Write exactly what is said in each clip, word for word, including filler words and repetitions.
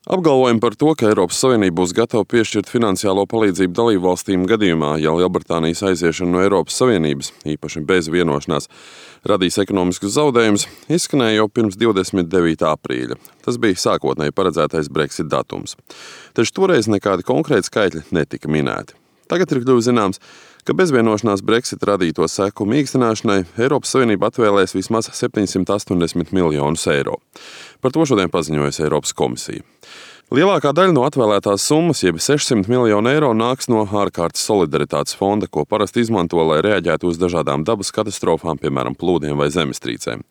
Apgalvojumi par to, ka Eiropas Savienība būs gatava piešķirt finansiālo palīdzību dalībvalstīm gadījumā, ja Lielbritānijas aiziešana no Eiropas Savienības, īpaši bez vienošanās, radīs ekonomiskus zaudējumus, izskanēja jau pirms divdesmit devītā aprīļa. Tas bija sākotnēji paredzētais Brexit datums. Taču toreiz nekādi konkrēti skaitļi netika minēti. Tagad ir kļuvis zināms, ka bez vienošanās Brexit radīto seku mīkstināšanai Eiropas Savienība atvēlēs vismaz septiņsimt astoņdesmit miljonus eiro. Par to šodien paziņojusi Eiropas komisija. Lielākā daļa no atvēlētās summas, jeb sešsimt miljonu eiro, nāks no ārkārtas solidaritātes fonda, ko parasti izmanto, lai reaģētu uz dažādām dabas katastrofām, piemēram, plūdiem vai zemestrīcēm.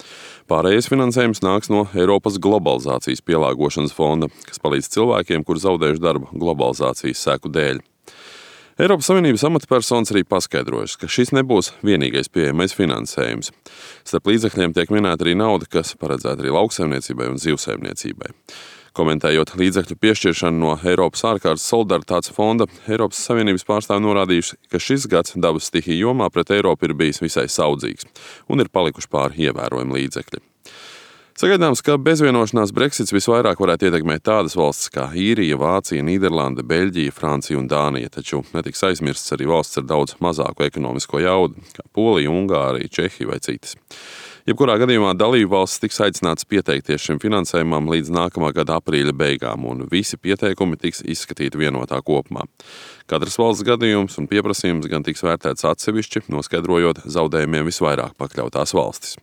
Pārējais finansējums nāks no Eiropas globalizācijas pielāgošanas fonda, kas palīdz cilvēkiem, kur zaudējuši darbu globalizācijas seku dēļ. Eiropas Savienības amatpersonas arī paskaidrojušas, ka šis nebūs vienīgais pieejamais finansējums. Starp līdzekļiem tiek minēta arī nauda, kas paredzēta arī lauksaimniecībai un zivsaimniecībai. Komentējot līdzekļu piešķiršanu no Eiropas ārkārtas solidaritātes fonda, Eiropas Savienības pārstāvi norādījuši, ka šis gads dabas stihiju jomā pret Eiropu ir bijis visai saudzīgs un ir palikuši pāri ievērojami līdzekļi. Sagaidāms, ka bezvienošanās Brexits visvairāk varētu ietekmēt tādas valstis kā Īrija, Vācija, Nīderlande, Beļģija, Francija un Dānija, taču netiks aizmirsts arī valsts ar daudz mazāku ekonomisko jaudu, kā Polija, Ungārija, Čehija vai citas. Jebkurā gadījumā dalību valstis tiks aicināts pieteikties šim finansējumam līdz nākamā gada aprīļa beigām, un visi pieteikumi tiks izskatīti vienotā kopumā. Katras valsts gadījums un pieprasījums gan tiks vērtēts atsevišķi, noskaidrojot zaudējumiem visvairāk pakļautās valstis.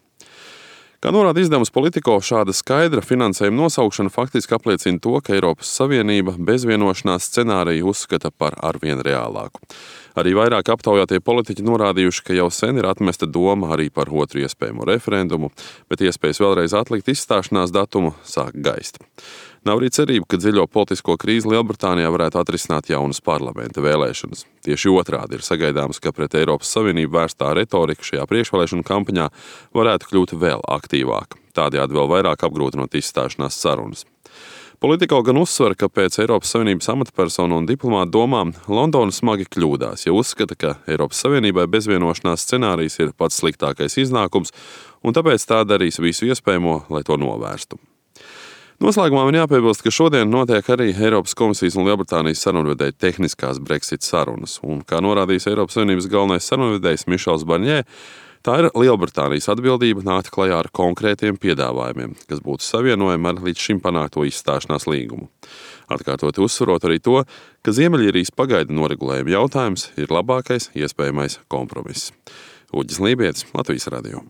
Kā norāda izdevums Politico, šāda skaidra finansējuma nosaukšana faktiski apliecina to, ka Eiropas Savienība bez vienošanās scenāriju uzskata par arvien reālāku. Arī vairāk aptaujātie politiķi norādījuši, ka jau sen ir atmesta doma arī par otru iespējamo referendumu, bet iespējas vēlreiz atlikt izstāšanās datumu sāk gaist. Nav arī cerība, ka dziļo politisko krīzi Lielbritānijā varētu atrisināt jaunas parlamenta vēlēšanas. Tieši otrādi ir sagaidāms, ka pret Eiropas Savienību vērstā retorika šajā priekšvēlēšanu kampaņā varētu kļūt vēl aktīvāka, tādējādi vēl vairāk apgrūtinot izstāšanās sarunas. Politico gan uzsver, ka pēc Eiropas Savienības amatpersonu un diplomātu domām Londona smagi kļūdās, ja uzskata, ka Eiropas Savienībai bezvienošanās scenārijs ir pats sliktākais iznākums, un tāpēc tā darīs visu iespējamo, lai to novērstu. Noslēgumā man jāpiebilst, ka šodien notiek arī Eiropas komisijas un Lielbritānijas sarunvedēju tehniskās Brexit sarunas, un, kā norādījis Eiropas Savienības galvenais sarunvedējs Mišels Barņē, tā ir Lielbritānijas atbildība nākt klajā ar konkrētiem piedāvājumiem, kas būtu savienojami ar līdz šim panākto izstāšanās līgumu. Atkārtoti uzsverot arī to, ka Ziemeļīrijas pagaidu noregulējuma jautājums ir labākais iespējamais kompromiss. Uģis Lībietis, Latvijas radio.